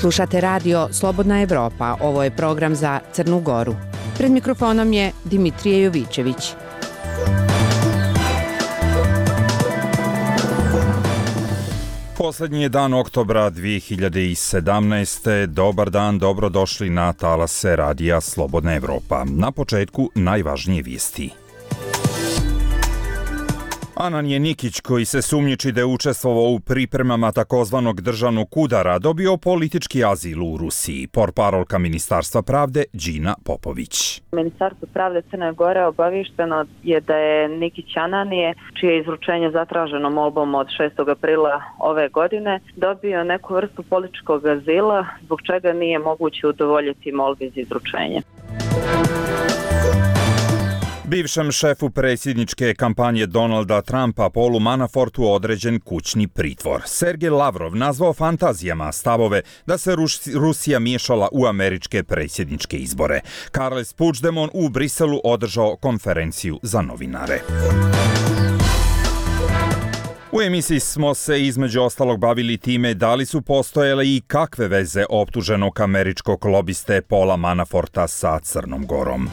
Slušate radio Slobodna Evropa, ovo je program za Crnu Goru. Pred mikrofonom je Dimitrije Jovićević. Poslednji je dan oktobra 2017. Dobar dan, dobrodošli na talase radija Slobodna Evropa. Na početku najvažnije vijesti. Ananije Nikić, koji se sumnjiči da je učestvovao u pripremama takozvanog državnog udara, dobio politički azil u Rusiji. Portparolka Ministarstva pravde Đina Popović. Ministarstvo pravde Crne Gore obavišteno je da je Nikić Ananije, čije izručenje zatraženo molbom od 6. aprila ove godine, dobio neku vrstu političkog azila, zbog čega nije moguće udovoljiti molbi za izručenje. Bivšem šefu predsjedničke kampanje Donalda Trumpa Paulu Manafortu određen kućni pritvor. Sergej Lavrov nazvao fantazijama stavove da se Rusija miješala u američke predsjedničke izbore. Carles Puigdemont u Briselu održao konferenciju za novinare. U emisiji smo se između ostalog bavili time da li su postojale i kakve veze optuženog američkog lobiste Paula Manaforta sa Crnom Gorom.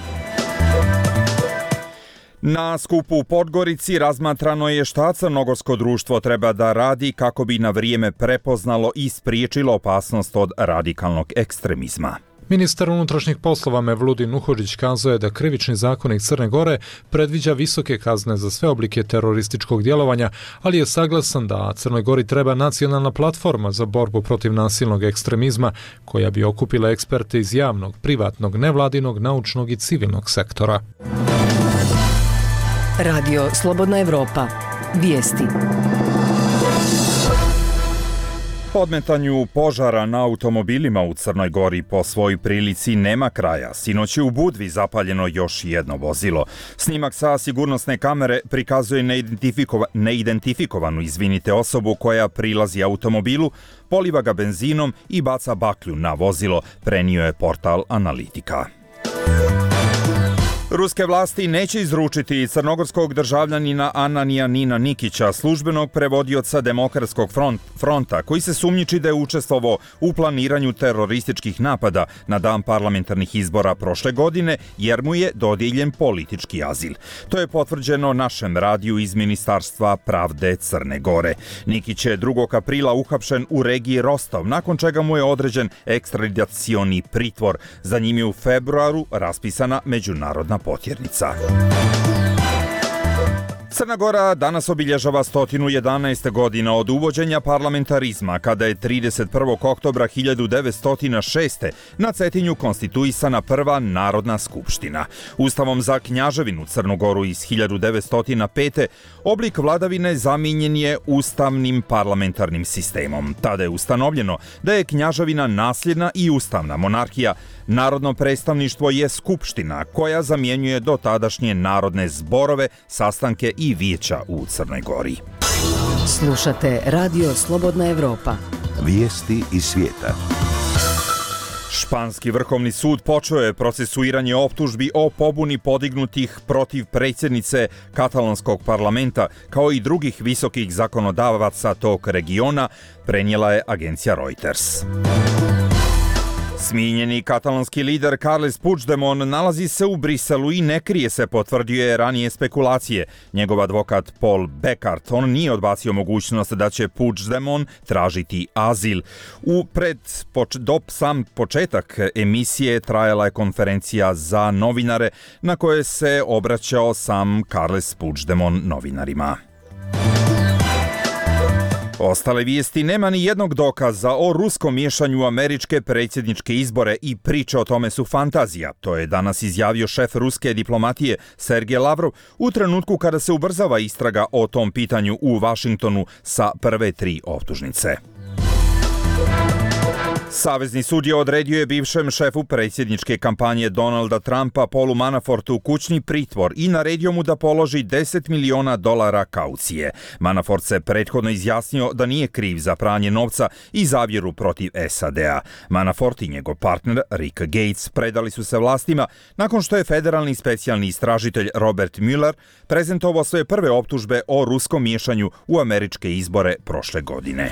Na skupu u Podgorici razmatrano je šta crnogorsko društvo treba da radi kako bi na vrijeme prepoznalo i spriječilo opasnost od radikalnog ekstremizma. Ministar unutrašnjih poslova Mevludin Uhodžić kazao je da krivični zakonik Crne Gore predviđa visoke kazne za sve oblike terorističkog djelovanja, ali je saglasan da Crnoj Gori treba nacionalna platforma za borbu protiv nasilnog ekstremizma, koja bi okupila eksperte iz javnog, privatnog, nevladinog, naučnog i civilnog sektora. Radio Slobodna Evropa. Vijesti. Podmetanju požara na automobilima u Crnoj Gori po svojoj prilici nema kraja. Sinoć je u Budvi zapaljeno još jedno vozilo. Snimak sa sigurnosne kamere prikazuje neidentifikovanu osobu koja prilazi automobilu, poliva ga benzinom i baca baklju na vozilo, prenio je portal Analitika. Ruske vlasti neće izručiti crnogorskog državljanina Ananija Nina Nikića, službenog prevodioca Demokratskog fronta, koji se sumnjiči da je učestvovao u planiranju terorističkih napada na dan parlamentarnih izbora prošle godine, jer mu je dodijeljen politički azil. To je potvrđeno našem radiju iz Ministarstva pravde Crne Gore. Nikić je 2. aprila uhapšen u regiji Rostov, nakon čega mu je određen ekstradicioni pritvor. Za njim je u februaru raspisana međunarodna potjernica. Crna Gora danas obilježava 111 godina od uvođenja parlamentarizma, kada je 31. oktobra 1906. na Cetinju konstituisana prva Narodna skupština. Ustavom za Knjaževinu Crnu Goru iz 1905. oblik vladavine zamijenjen je ustavnim parlamentarnim sistemom. Tada je ustanovljeno da je Knjaževina nasljedna i ustavna monarhija. Narodno predstavništvo je skupština koja zamjenjuje dotadašnje narodne zborove, sastanke i vijeća u Crnoj Gori. Slušate radio Slobodna Evropa. Vijesti iz svijeta. Španski vrhovni sud počeo je procesuiranje optužbi o pobuni podignutih protiv predsjednice katalonskog parlamenta, kao i drugih visokih zakonodavaca tog regiona, prenijela je agencija Reuters. Smijenjeni katalonski lider Carles Puigdemont nalazi se u Briselu i ne krije se, potvrdio je ranije spekulacije. Njegov advokat Paul Beckart, on nije odbacio mogućnost da će Puigdemont tražiti azil. Do sam početak emisije trajala je konferencija za novinare na kojoj se obraćao sam Carles Puigdemont novinarima. Ostale vijesti: nema ni jednog dokaza o ruskom miješanju u američke predsjedničke izbore i priče o tome su fantazija. To je danas izjavio šef ruske diplomatije Sergej Lavrov u trenutku kada se ubrzava istraga o tom pitanju u Vašingtonu sa prve 3 optužnice. Savezni sud je odredio bivšem šefu predsjedničke kampanje Donalda Trumpa Paulu Manafortu kućni pritvor i naredio mu da položi $10 miliona kaucije. Manafort se prethodno izjasnio da nije kriv za pranje novca i zavjeru protiv SAD-a. Manafort i njegov partner Rick Gates predali su se vlastima nakon što je federalni specijalni istražitelj Robert Mueller prezentovao svoje prve optužbe o ruskom miješanju u američke izbore prošle godine.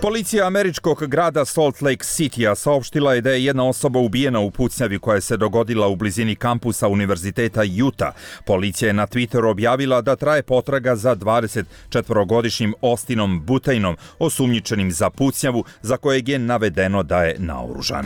Policija američkog grada Salt Lake Citya saopštila je da je jedna osoba ubijena u pucnjavi koja se dogodila u blizini kampusa Univerziteta Utah. Policija je na Twitteru objavila da traje potraga za 24-godišnjim Austinom Butainom, osumnjičenim za pucnjavu za kojeg je navedeno da je naoružan.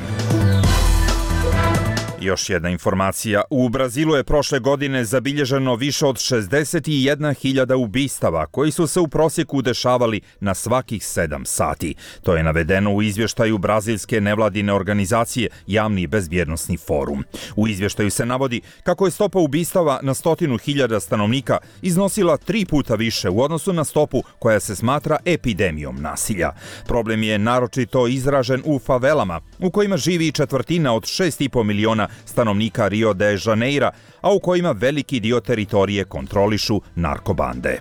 Još jedna informacija. U Brazilu je prošle godine zabilježeno više od 61.000 ubistava koji su se u prosjeku dešavali na svakih 7 sati. To je navedeno u izvještaju brazilske nevladine organizacije Javni i bezbjednosni forum. U izvještaju se navodi kako je stopa ubistava na 100.000 stanovnika iznosila 3 puta više u odnosu na stopu koja se smatra epidemijom nasilja. Problem je naročito izražen u favelama, u kojima živi četvrtina od 6,5 miliona stanovnika Rio de Janeira, a u kojima veliki dio teritorije kontrolišu narkobande.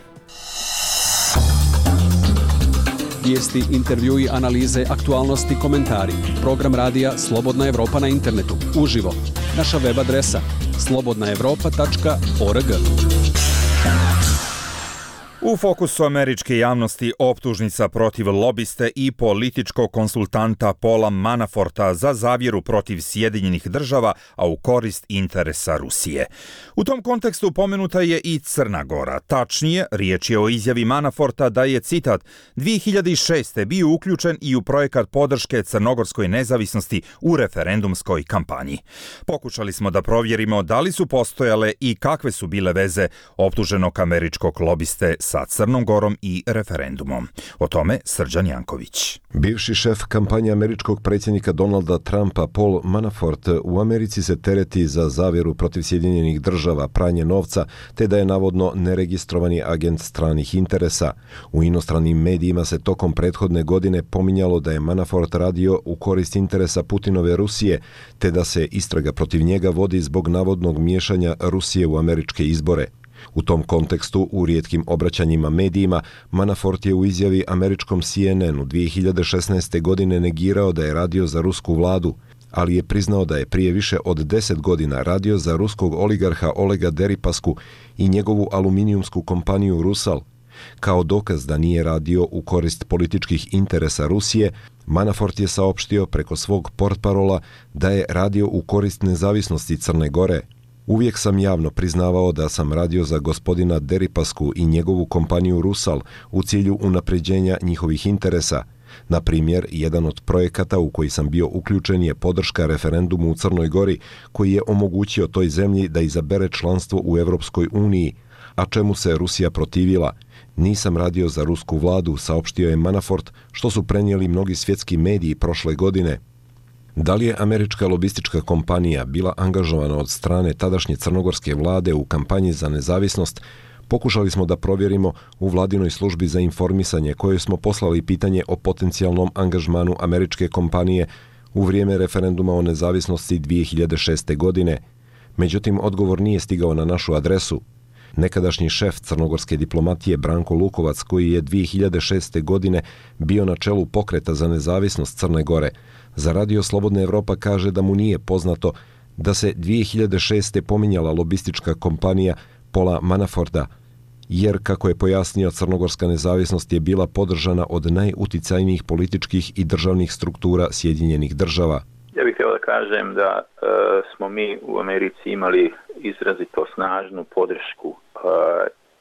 Vijesti, intervjui, analize, aktualnosti, komentari. Program radija Slobodna Evropa na internetu. Uživo. Naša web adresa slobodnaevropa.org. U fokusu američke javnosti optužnica protiv lobiste i političkog konsultanta Paula Manaforta za zavjeru protiv Sjedinjenih država, a u korist interesa Rusije. U tom kontekstu pomenuta je i Crna Gora. Tačnije, riječ je o izjavi Manaforta da je, citat, 2006. bio uključen i u projekat podrške crnogorskoj nezavisnosti u referendumskoj kampanji. Pokušali smo da provjerimo da li su postojale i kakve su bile veze optuženog američkog lobiste sa Crnom Gorom i referendumom. O tome Srđan Janković. Bivši šef kampanje američkog predsjednika Donalda Trumpa Paul Manafort u Americi se tereti za zavjeru protiv Sjedinjenih država, pranje novca, te da je navodno neregistrovani agent stranih interesa. U inostranim medijima se tokom prethodne godine pominjalo da je Manafort radio u korist interesa Putinove Rusije, te da se istraga protiv njega vodi zbog navodnog miješanja Rusije u američke izbore. U tom kontekstu, u rijetkim obraćanjima medijima, Manafort je u izjavi američkom CNN-u 2016. godine negirao da je radio za rusku vladu, ali je priznao da je prije više od 10 godina radio za ruskog oligarha Olega Deripasku i njegovu aluminijumsku kompaniju Rusal. Kao dokaz da nije radio u korist političkih interesa Rusije, Manafort je saopštio preko svog portparola da je radio u korist nezavisnosti Crne Gore. Uvijek sam javno priznavao da sam radio za gospodina Deripasku i njegovu kompaniju Rusal u cilju unapređenja njihovih interesa. Na primjer, jedan od projekata u koji sam bio uključen je podrška referendumu u Crnoj Gori, koji je omogućio toj zemlji da izabere članstvo u Europskoj uniji, a čemu se Rusija protivila. Nisam radio za rusku vladu, saopštio je Manafort, što su prenijeli mnogi svjetski mediji prošle godine. Da li je američka lobistička kompanija bila angažovana od strane tadašnje crnogorske vlade u kampanji za nezavisnost, pokušali smo da provjerimo u vladinoj službi za informisanje kojoj smo poslali pitanje o potencijalnom angažmanu američke kompanije u vrijeme referenduma o nezavisnosti 2006. godine. Međutim, odgovor nije stigao na našu adresu. Nekadašnji šef crnogorske diplomatije Branko Lukovac, koji je 2006. godine bio na čelu pokreta za nezavisnost Crne Gore, za Radio Slobodna Evropa kaže da mu nije poznato da se 2006. pominjala lobistička kompanija Paula Manaforta, jer, kako je pojasnio, crnogorska nezavisnost je bila podržana od najuticajnijih političkih i državnih struktura Sjedinjenih država. Ja bih htio da kažem da smo mi u Americi imali izrazito snažnu podršku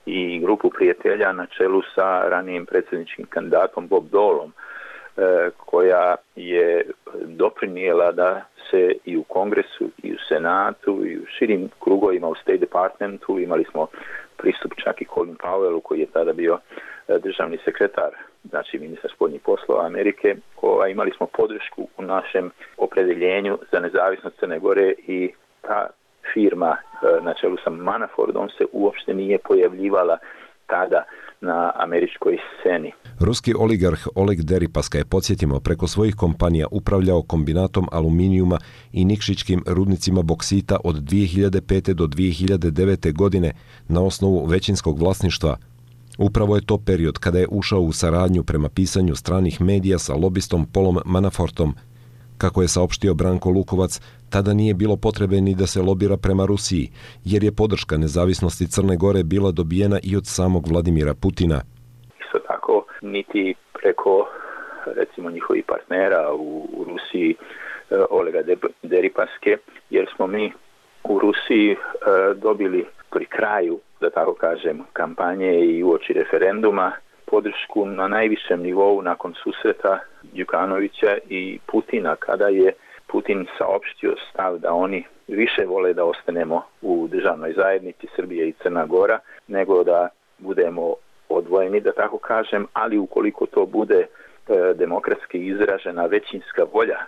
i grupu prijatelja na čelu sa ranijim predsjedničkim kandidatom Bob Dolom, koja je doprinijela da se i u Kongresu i u Senatu i u širim krugovima u State Departmentu imali smo pristup čak i Colin Powellu, koji je tada bio državni sekretar, znači ministar spoljnih poslova Amerike. Imali smo podršku u našem opredeljenju za nezavisnost Crne Gore i ta firma na čelu sa Manafortom se uopšte nije pojavljivala tada na američkoj sceni. Ruski oligarh Oleg Deripaska je, podsjetimo, preko svojih kompanija upravljao kombinatom aluminijuma i nikšićkim rudnicima boksita od 2005. do 2009. godine na osnovu većinskog vlasništva. Upravo je to period kada je ušao u saradnju prema pisanju stranih medija sa lobistom Paulom Manafortom. Kako je saopštio Branko Lukovac, tada nije bilo potrebe ni da se lobira prema Rusiji, jer je podrška nezavisnosti Crne Gore bila dobijena i od samog Vladimira Putina. Isto tako, niti preko recimo njihovih partnera u Rusiji, Olega Deripaske, jer smo mi u Rusiji dobili pri kraju, da tako kažem, kampanje i uoči referenduma podršku na najvišem nivou nakon susreta Đukanovića i Putina, kada je Putin saopštio stav da oni više vole da ostanemo u državnoj zajednici Srbije i Crna Gora, nego da budemo odvojeni, da tako kažem, ali ukoliko to bude demokratski izražena većinska volja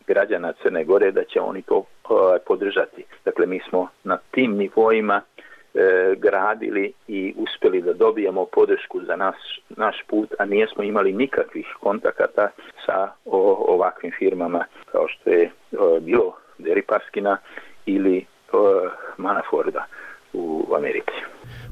građana Crne Gore, da će oni to podržati. Dakle, mi smo na tim nivoima gradili i uspjeli da dobijemo podršku za naš put, a nijesmo imali nikakvih kontakata sa ovakvim firmama kao što je bilo Deripaskina ili Manaforda u Americi.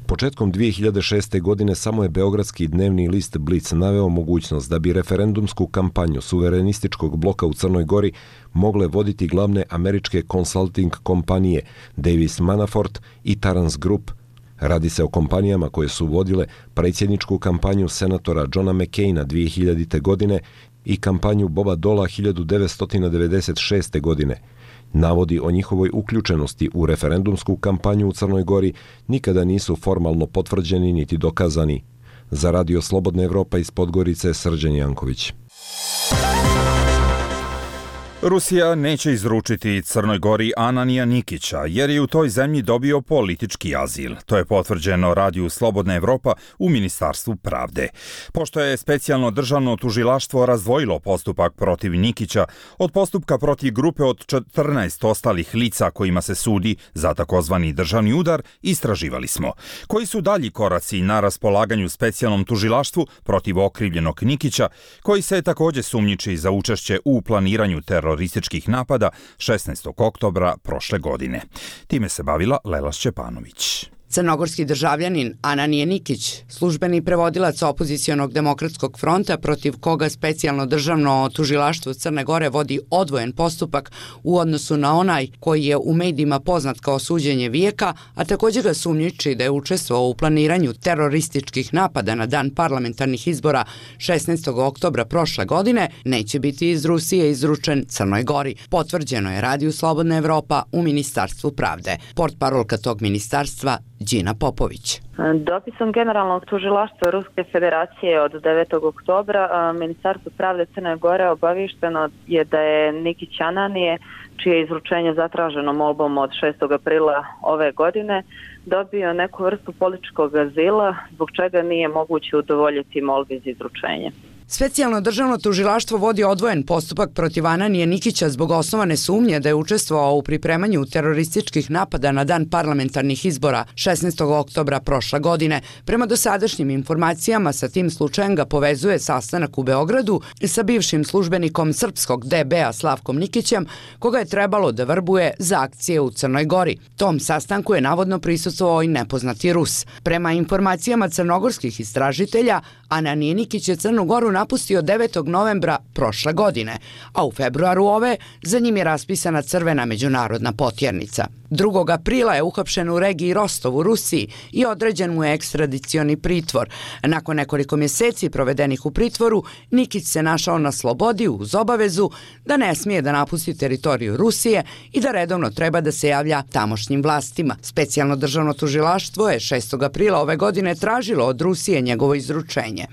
Početkom 2006. godine samo je beogradski dnevni list Blic naveo mogućnost da bi referendumsku kampanju suverenističkog bloka u Crnoj Gori mogle voditi glavne američke konsulting kompanije Davis Manafort i Tarrance Group. Radi se o kompanijama koje su vodile predsjedničku kampanju senatora Johna McCaina 2000. godine i kampanju Boba Dola 1996. godine. Navodi o njihovoj uključenosti u referendumsku kampanju u Crnoj Gori nikada nisu formalno potvrđeni niti dokazani. Za Radio Slobodna Evropa iz Podgorice, Srđan Janković. Rusija neće izručiti Crnoj Gori Ananija Nikića, jer je u toj zemlji dobio politički azil. To je potvrđeno Radiju Slobodna Evropa u Ministarstvu pravde. Pošto je specijalno državno tužilaštvo razdvojilo postupak protiv Nikića od postupka protiv grupe od 14 ostalih lica kojima se sudi za takozvani državni udar, istraživali smo. Koji su dalji koraci na raspolaganju specijalnom tužilaštvu protiv okrivljenog Nikića, koji se također sumnjiči za učešće u planiranju terorističkih napada 16. oktobra prošle godine. Time se bavila Lela Šćepanović. Crnogorski državljanin Ananije Nikić, službeni prevodilac opozicionog demokratskog fronta protiv koga specijalno državno tužilaštvo Crne Gore vodi odvojen postupak u odnosu na onaj koji je u medijima poznat kao suđenje vijeka, a također ga sumnjiči da je učestvovao u planiranju terorističkih napada na dan parlamentarnih izbora 16. oktobra prošle godine, neće biti iz Rusije izručen Crnoj Gori. Potvrđeno je Radiju Slobodna Evropa u Ministarstvu pravde. Portparolka tog ministarstva Đina Popović. Dopisom Generalnog tužilaštva Ruske federacije od 9. oktobra Ministarstvo pravde Crne Gore obavišteno je da je Nikić Ananije, čije je izručenje zatraženo molbom od 6. aprila ove godine, dobio neku vrstu političkog azila, zbog čega nije moguće udovoljiti molbi za izručenje. Specijalno državno tužilaštvo vodi odvojen postupak protiv Ananije Nikića zbog osnovane sumnje da je učestvovao u pripremanju terorističkih napada na dan parlamentarnih izbora 16. oktobra prošle godine. Prema dosadašnjim informacijama, sa tim slučajem ga povezuje sastanak u Beogradu sa bivšim službenikom srpskog DB-a Slavkom Nikićem, koga je trebalo da vrbuje za akcije u Crnoj Gori. Tom sastanku je navodno prisustvovao i nepoznati Rus. Prema informacijama crnogorskih istražitelja, Ananije Nikić je Crnu Goru napustio 9. novembra prošle godine, a u februaru ove za njim je raspisana crvena međunarodna potjernica. 2. aprila je uhapšen u regiji Rostov u Rusiji i određen mu je ekstradicioni pritvor. Nakon nekoliko mjeseci provedenih u pritvoru, Nikić se našao na slobodi uz obavezu da ne smije da napusti teritoriju Rusije i da redovno treba da se javlja tamošnjim vlastima. Specijalno državno tužilaštvo je 6. aprila ove godine tražilo od Rusije njegovo izručenje.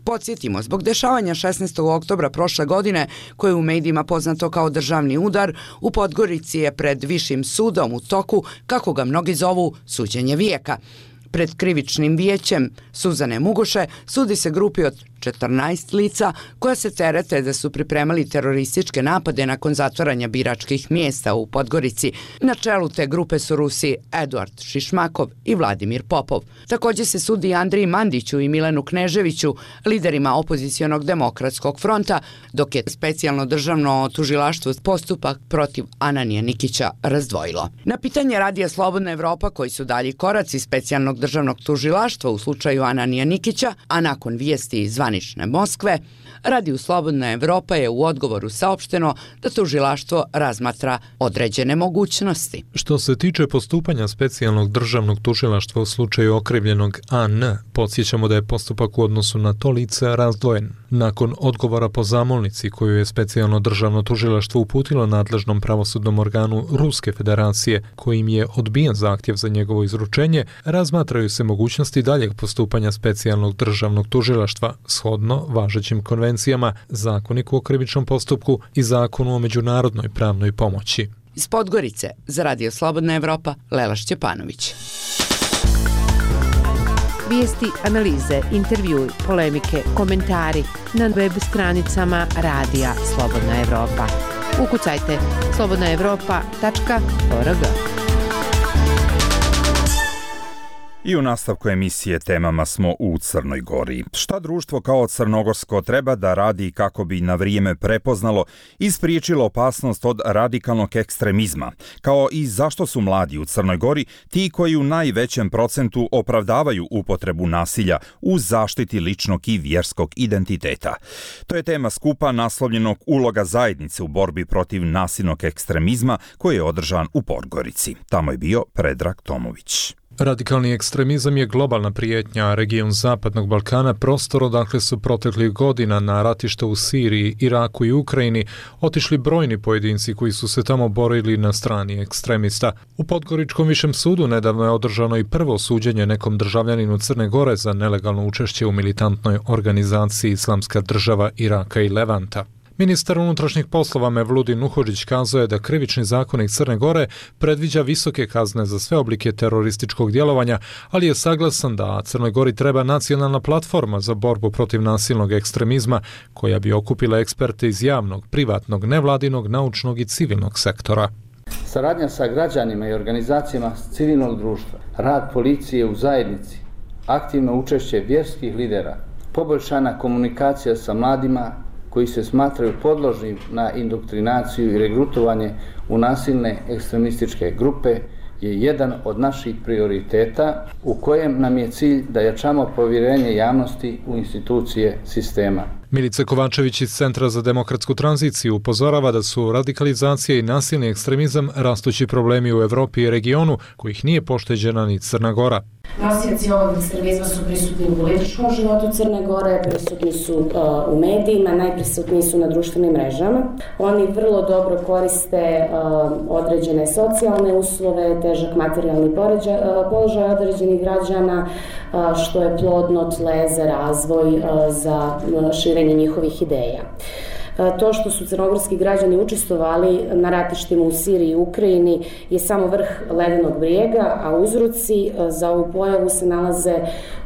Podsjetimo, zbog dešavanja 16. oktobra prošle godine, koje je u medijima poznato kao državni udar, u Podgorici je pred Višim sudom u toku, kako ga mnogi zovu, suđenje vijeka. Pred krivičnim vijećem Suzane Mugoše sudi se grupi od 14 lica koja se terete da su pripremali terorističke napade nakon zatvaranja biračkih mjesta u Podgorici. Na čelu te grupe su Rusi Eduard Šišmakov i Vladimir Popov. Također se sudi Andriji Mandiću i Milenu Kneževiću, liderima opozicionog demokratskog fronta, dok je specijalno državno tužilaštvo postupak protiv Ananija Nikića razdvojilo. Na pitanje Radija Slobodna Evropa koji su dalji koraci specijalnog državnog tužilaštva u slučaju Ananija Nikića, a nakon vijesti iz zvaničnog zvanične Moskve, Radiju Slobodna Evropa je u odgovoru saopšteno da tužilaštvo razmatra određene mogućnosti. Što se tiče postupanja specijalnog državnog tužilaštva u slučaju okrivljenog AN, podsjećamo da je postupak u odnosu na to lice razdvojen. Nakon odgovora po zamolnici koju je specijalno državno tužilaštvo uputilo nadležnom pravosudnom organu Ruske federacije, kojim je odbijen zahtjev za njegovo izručenje, razmatraju se mogućnosti daljeg postupanja specijalnog državnog tužilaštva shodno važećim konvencijama, Zakoniku o krivičnom postupku i Zakonu o međunarodnoj pravnoj pomoći. Iz Podgorice za Radio Slobodna Evropa, Lela Šćepanović. Vijesti, analize, intervjui, polemike, komentari na web stranicama Radija Slobodna Evropa. Ukucajte slobodnaevropa.org. I u nastavku emisije temama smo u Crnoj Gori. Šta društvo kao crnogorsko treba da radi kako bi na vrijeme prepoznalo i spriječilo opasnost od radikalnog ekstremizma, kao i zašto su mladi u Crnoj Gori ti koji u najvećem procentu opravdavaju upotrebu nasilja u zaštiti ličnog i vjerskog identiteta. To je tema skupa naslovljenog Uloga zajednice u borbi protiv nasilnog ekstremizma koji je održan u Podgorici. Tamo je bio Predrag Tomović. Radikalni ekstremizam je globalna prijetnja, a region Zapadnog Balkana prostor odakle su proteklih godina na ratišta u Siriji, Iraku i Ukrajini otišli brojni pojedinci koji su se tamo borili na strani ekstremista. U Podgoričkom višem sudu nedavno je održano i prvo suđenje nekom državljaninu Crne Gore za nelegalno učešće u militantnoj organizaciji Islamska država Iraka i Levanta. Ministar unutrašnjih poslova Mevludin Nuhodžić kazao je da krivični zakonik Crne Gore predviđa visoke kazne za sve oblike terorističkog djelovanja, ali je saglasan da Crnoj Gori treba nacionalna platforma za borbu protiv nasilnog ekstremizma koja bi okupila eksperte iz javnog, privatnog, nevladinog, naučnog i civilnog sektora. Saradnja sa građanima i organizacijama civilnog društva, rad policije u zajednici, aktivno učešće vjerskih lidera, poboljšana komunikacija sa mladima koji se smatraju podložnim na indoktrinaciju i regrutovanje u nasilne ekstremističke grupe je jedan od naših prioriteta u kojem nam je cilj da jačamo povjerenje javnosti u institucije sistema. Milica Kovačević iz Centra za demokratsku tranziciju upozorava da su radikalizacija i nasilni ekstremizam rastući problemi u Evropi i regionu kojih nije pošteđena ni Crna Gora. Nosioci ovog ekstremizma su prisutni u političkom životu Crne Gore, prisutni su u medijima, najprisutniji su na društvenim mrežama. Oni vrlo dobro koriste određene socijalne uslove, težak materijalni položaj određenih građana, što je plodno tle za razvoj, za širenje njihovih ideja. To što su crnogorski građani učestvovali na ratištima u Siriji i Ukrajini je samo vrh ledenog brijega, a uzroci za ovu pojavu se nalaze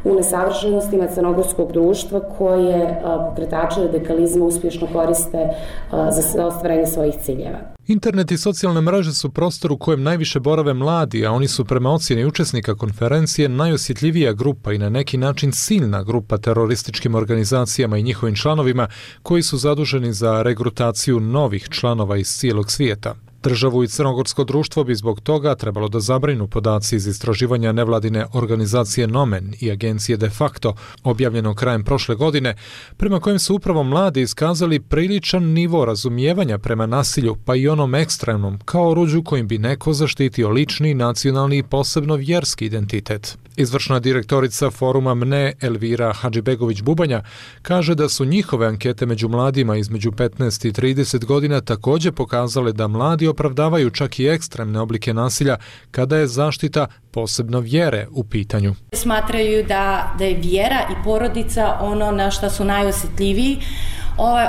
u nesavršenostima crnogorskog društva koje pokretače radikalizma uspješno koriste za ostvarenje svojih ciljeva. Internet i socijalne mreže su prostor u kojem najviše borave mladi, a oni su prema ocjeni učesnika konferencije najosjetljivija grupa i na neki način ciljna grupa terorističkim organizacijama i njihovim članovima koji su zaduženi za regrutaciju novih članova iz cijelog svijeta. Državu i crnogorsko društvo bi zbog toga trebalo da zabrinu podaci iz istraživanja nevladine organizacije Nomen i agencije De facto, objavljeno krajem prošle godine, prema kojem su upravo mladi iskazali priličan nivo razumijevanja prema nasilju, pa i onom ekstremnom, kao oruđu kojim bi neko zaštitio lični, nacionalni i posebno vjerski identitet. Izvršna direktorica foruma MNE Elvira Hadžibegović-Bubanja kaže da su njihove ankete među mladima između 15 i 30 godina također pokazale da mladi opravdavaju čak i ekstremne oblike nasilja kada je zaštita posebno vjere u pitanju. Smatraju da je vjera i porodica ono na što su najosjetljiviji.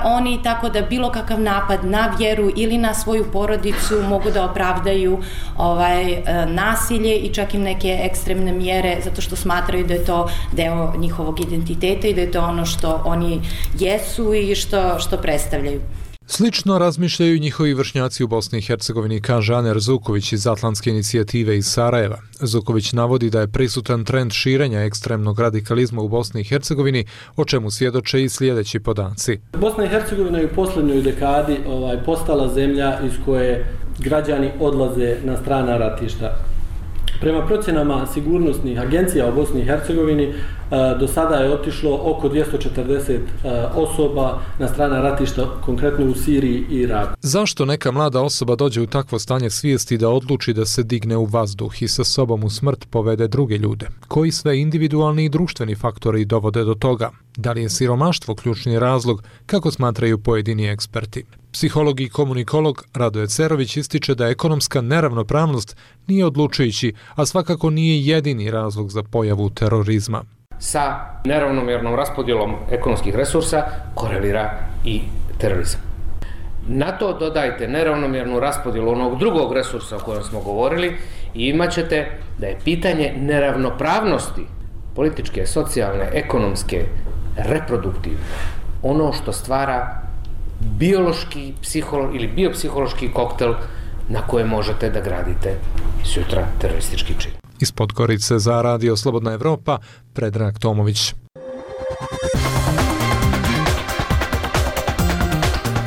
Oni tako da bilo kakav napad na vjeru ili na svoju porodicu mogu da opravdaju nasilje i čak i neke ekstremne mjere zato što smatraju da je to deo njihovog identiteta i da je to ono što oni jesu i što predstavljaju. Slično razmišljaju njihovi vršnjaci u Bosni i Hercegovini, kaže Aner Zuković iz Atlantske inicijative iz Sarajeva. Zuković navodi da je prisutan trend širenja ekstremnog radikalizma u Bosni i Hercegovini, o čemu svjedoče i sljedeći podaci. Bosna i Hercegovina je u posljednjoj dekadi postala zemlja iz koje građani odlaze na strana ratišta. Prema procjenama sigurnosnih agencija u Bosni i Hercegovini do sada je otišlo oko 240 osoba na strana ratišta, konkretno u Siriji i Iraku. Zašto neka mlada osoba dođe u takvo stanje svijesti da odluči da se digne u vazduh i sa sobom u smrt povede druge ljude? Koji sve individualni i društveni faktori dovode do toga? Da li je siromaštvo ključni razlog, kako smatraju pojedini eksperti? Psiholog i komunikolog Radoje Cerović ističe da ekonomska neravnopravnost nije odlučujući, a svakako nije jedini razlog za pojavu terorizma. Sa neravnomjernom raspodjelom ekonomskih resursa korelira i terorizam. Na to dodajte neravnomjernu raspodjelu onog drugog resursa o kojem smo govorili i imat ćete da je pitanje neravnopravnosti političke, socijalne, ekonomske, reproduktivne, ono što stvara biološki ili biopsihološki koktel na koje možete da gradite sutra teroristički čin. Iz Podgorice za Radio Slobodna Evropa, Predrag Tomović.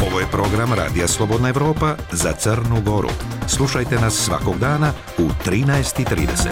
Ovo je program Radija Slobodna Evropa za Crnu Goru. Slušajte nas svakog dana u 13:30.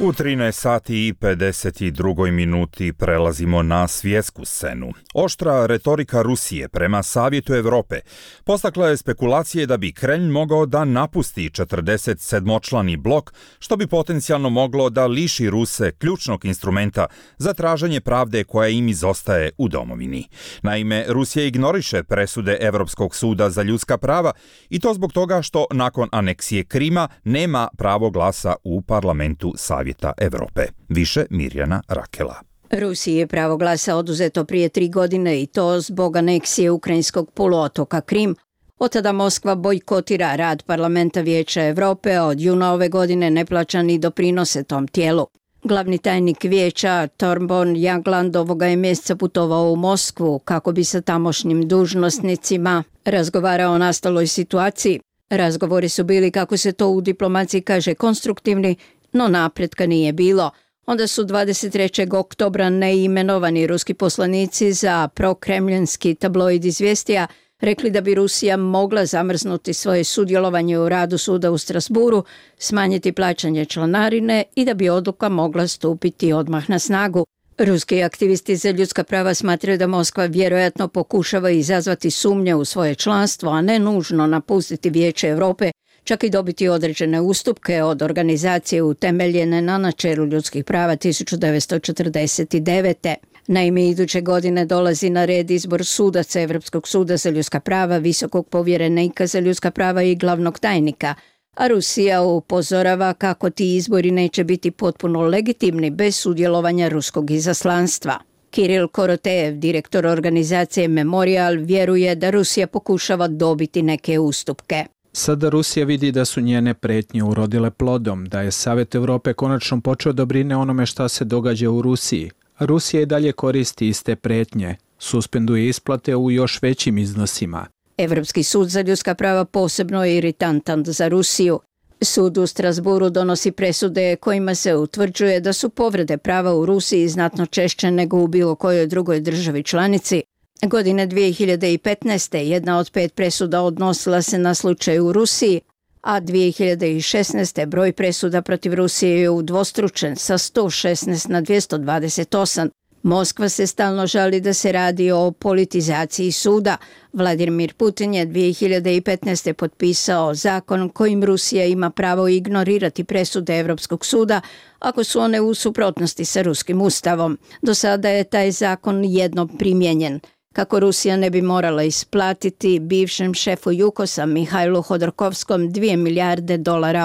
U 13 sati i 52 minuti prelazimo na svjetsku scenu. Oštra retorika Rusije prema Savjetu Evrope postakla je spekulacije da bi Kremlj mogao da napusti 47-člani blok, što bi potencijalno moglo da liši Ruse ključnog instrumenta za traženje pravde koja im izostaje u domovini. Naime, Rusija ignoriše presude Evropskog suda za ljudska prava i to zbog toga što nakon aneksije Krima nema pravo glasa u parlamentu Savjeta Evrope. Više Mirjana Rakela. Rusiji je pravo glasa oduzeto prije 3 godine i to zbog aneksije ukrajinskog poluotoka Krim. Od tada Moskva bojkotira rad Parlamenta Vijeća Evrope, a od juna ove godine ne plaća ni doprinose tom tijelu. Glavni tajnik vijeća Thorbjørn Jagland ovoga je mjeseca putovao u Moskvu kako bi sa tamošnjim dužnosnicima razgovarao o nastaloj situaciji. Razgovori su bili, kako se to u diplomaciji kaže, konstruktivni, no napretka nije bilo. Onda su 23. oktobra neimenovani ruski poslanici za prokremljanski tabloid Izvjestija rekli da bi Rusija mogla zamrznuti svoje sudjelovanje u radu suda u Strasburu, smanjiti plaćanje članarine i da bi odluka mogla stupiti odmah na snagu. Ruski aktivisti za ljudska prava smatraju da Moskva vjerojatno pokušava izazvati sumnje u svoje članstvo, a ne nužno napustiti Vijeće Evrope, čak i dobiti određene ustupke od organizacije utemeljene na načelu ljudskih prava 1949. Naime, iduće godine dolazi na red izbor sudaca Evropskog suda za ljudska prava, visokog povjerenika za ljudska prava i glavnog tajnika, a Rusija upozorava kako ti izbori neće biti potpuno legitimni bez sudjelovanja ruskog izaslanstva. Kiril Korotejev, direktor organizacije Memorial, vjeruje da Rusija pokušava dobiti neke ustupke. Sada Rusija vidi da su njene pretnje urodile plodom, da je Savjet Evrope konačno počeo da brine onome šta se događa u Rusiji. Rusija i dalje koristi iste pretnje, suspenduje isplate u još većim iznosima. Evropski sud za ljudska prava posebno je iritantan za Rusiju. Sud u Strasburu donosi presude kojima se utvrđuje da su povrede prava u Rusiji znatno češće nego u bilo kojoj drugoj državi članici. Godine 2015. jedna od 5 presuda odnosila se na slučaj u Rusiji, a 2016. broj presuda protiv Rusije je udvostručen sa 116 na 228. Moskva se stalno žali da se radi o politizaciji suda. Vladimir Putin je 2015. potpisao zakon kojim Rusija ima pravo ignorirati presude Evropskog suda ako su one u suprotnosti sa ruskim ustavom. Do sada je taj zakon jednom primijenjen. Kako Rusija ne bi morala isplatiti bivšem šefu Jukosa Mihajlu Hodorkovskom $2 milijarde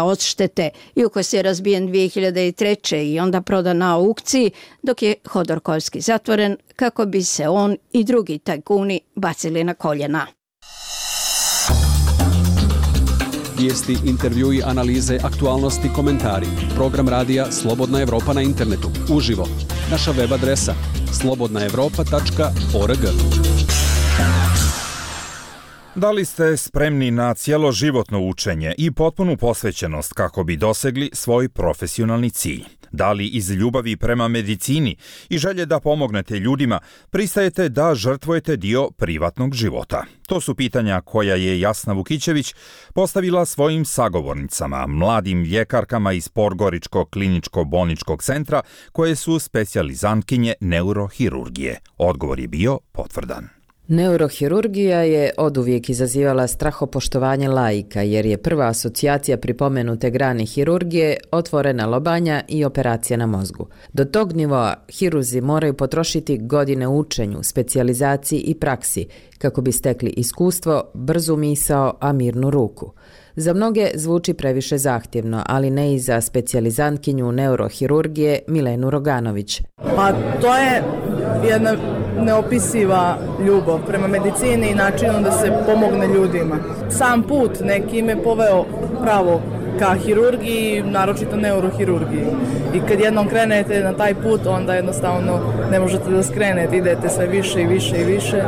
odštete. Jukos je razbijen 2003. i onda prodan na aukciji, dok je Hodorkovski zatvoren kako bi se on i drugi tajkuni bacili na koljena. Vijesti, intervjui, analize, aktualnosti, komentari. Program radija Slobodna Evropa na internetu. Uživo. Naša web adresa slobodnaevropa.org. Da li ste spremni na cjeloživotno učenje i potpunu posvećenost kako bi dosegli svoj profesionalni cilj? Da li iz ljubavi prema medicini i želje da pomognete ljudima pristajete da žrtvujete dio privatnog života? To su pitanja koja je Jasna Vukićević postavila svojim sagovornicama, mladim ljekarkama iz Podgoričkog kliničko-bolničkog centra koje su specijalizantkinje neurohirurgije. Odgovor je bio potvrdan. Neurohirurgija je oduvijek izazivala strahopoštovanje laika jer je prva asocijacija pripomenute grane hirurgije otvorena lobanja i operacija na mozgu. Do tog nivoa hirurzi moraju potrošiti godine u učenju, specijalizaciji i praksi kako bi stekli iskustvo, brzu misao, a mirnu ruku. Za mnoge zvuči previše zahtjevno, ali ne i za specijalizantkinju neurohirurgije Milenu Roganović. Pa to je jedna neopisiva ljubav prema medicini i načinu da se pomogne ljudima. Sam put neki me poveo pravo ka hirurgiji, naročito neurohirurgiji. I kad jednom krenete na taj put, onda jednostavno ne možete da skrenete, idete sve više i više i više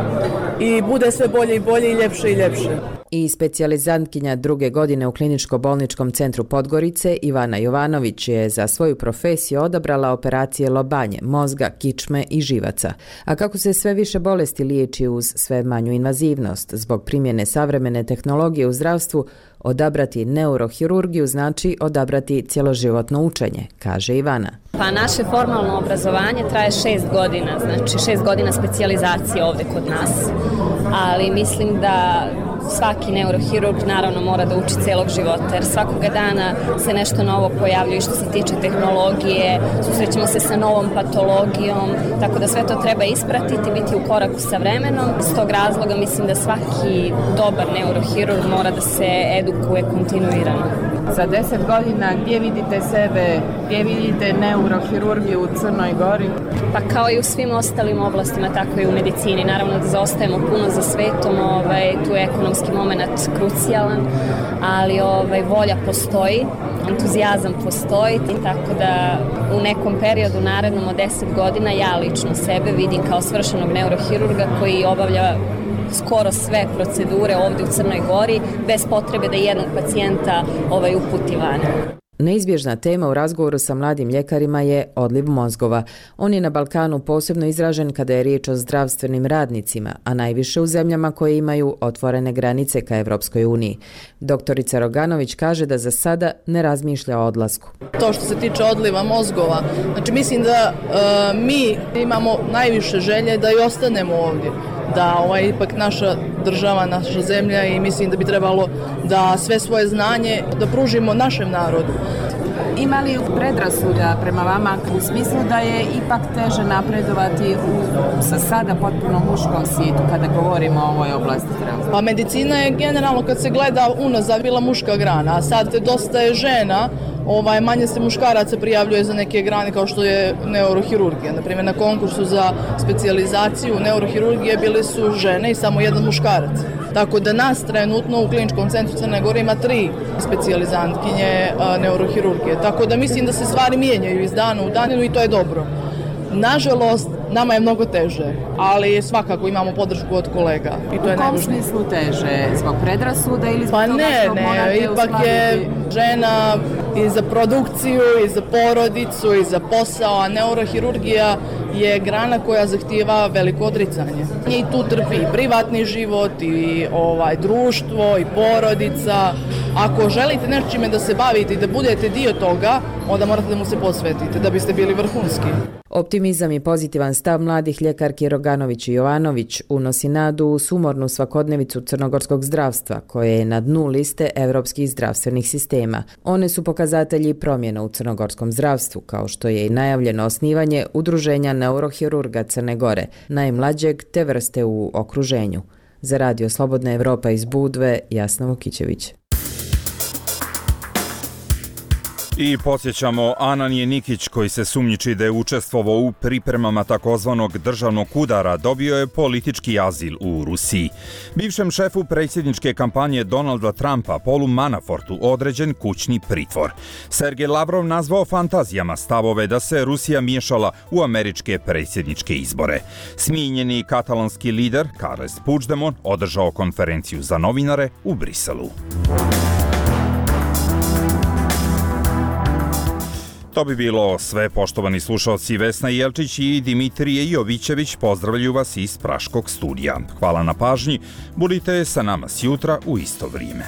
i bude sve bolje i bolje i ljepše i ljepše. I specijalizantkinja druge godine u kliničko-bolničkom centru Podgorice Ivana Jovanović je za svoju profesiju odabrala operacije lobanje, mozga, kičme i živaca. A kako se sve više bolesti liječi uz sve manju invazivnost, zbog primjene savremene tehnologije u zdravstvu, odabrati neurohirurgiju znači odabrati cjeloživotno učenje, kaže Ivana. Pa naše formalno obrazovanje traje 6 godina, znači 6 godina specijalizacije ovdje kod nas, ali mislim da svaki neurohirurg naravno mora da uči celog života, jer svakoga dana se nešto novo pojavljuje što se tiče tehnologije, susrećemo se sa novom patologijom, tako da sve to treba ispratiti, biti u koraku sa vremenom. S tog razloga mislim da svaki dobar neurohirurg mora da se edukuje kontinuirano. Za 10 godina gdje vidite sebe, gdje vidite neurohirurgiju u Crnoj Gori? Pa kao i u svim ostalim oblastima, tako i u medicini. Naravno da zaostajemo puno za svetom, tu je ekonomski moment krucijalan, ali volja postoji, entuzijazam postoji, tako da u nekom periodu narednom od 10 godina ja lično sebe vidim kao svršenog neurohirurga koji obavlja skoro sve procedure ovdje u Crnoj Gori bez potrebe da jednog pacijenta uputi van. Neizbježna tema u razgovoru sa mladim ljekarima je odliv mozgova. On je na Balkanu posebno izražen kada je riječ o zdravstvenim radnicima, a najviše u zemljama koje imaju otvorene granice ka Evropskoj uniji. Doktorica Roganović kaže da za sada ne razmišlja o odlasku. To što se tiče odliva mozgova, znači mislim da mi imamo najviše želje da i ostanemo ovdje. Da ipak naša država, naša zemlja i mislim da bi trebalo da sve svoje znanje da pružimo našem narodu. Ima li predrasuda prema vama u smislu da je ipak teže napredovati sa sada potpuno muškom svijetu kada govorimo o ovoj oblasti zdravstva? Pa medicina je generalno kad se gleda unazad bila muška grana, a sad dosta je žena, manje se muškaraca prijavljuje za neke grane kao što je neurohirurgija. Naprimjer, na konkursu za specijalizaciju neurohirurgije bili su žene i samo jedan muškarac. Tako da nas trenutno u kliničkom centru Crne Gore ima 3 specijalizantkinje neurohirurgije. Tako da mislim da se stvari mijenjaju iz dana u dan i to je dobro. Nažalost, nama je mnogo teže, ali svakako imamo podršku od kolega. I to je u kom smislu teže? Zbog predrasuda ili zbog toga što morate ipak je žena i za produkciju, i za porodicu, i za posao, a neurohirurgija je grana koja zahtijeva veliko odricanje. I tu trpi i privatni život, i društvo, i porodica. Ako želite nečime da se bavite i da budete dio toga, onda morate da mu se posvetite da biste bili vrhunski. Optimizam i pozitivan stav mladih ljekarki Roganović i Jovanović unosi nadu u sumornu svakodnevicu crnogorskog zdravstva, koje je na dnu liste evropskih zdravstvenih sistema. One su pokazatelji promjena u crnogorskom zdravstvu, kao što je i najavljeno osnivanje Udruženja neurohirurga Crne Gore, najmlađeg te vrste u okruženju. Za Radio Slobodna Evropa iz Budve, Jasna Vukićević. I podsjećamo, Ananije Nikić, koji se sumnjiči da je učestvovao u pripremama takozvanog državnog udara, dobio je politički azil u Rusiji. Bivšem šefu predsjedničke kampanje Donalda Trumpa, Paulu Manafortu, određen kućni pritvor. Sergej Lavrov nazvao fantazijama stavove da se Rusija miješala u američke predsjedničke izbore. Smijenjeni katalonski lider Carles Puigdemont održao konferenciju za novinare u Briselu. To bi bilo sve, poštovani slušalci. Vesna Jelčić i Dimitrije Jovićević pozdravljaju vas iz Praškog studija. Hvala na pažnji, budite sa nama sjutra u isto vrijeme.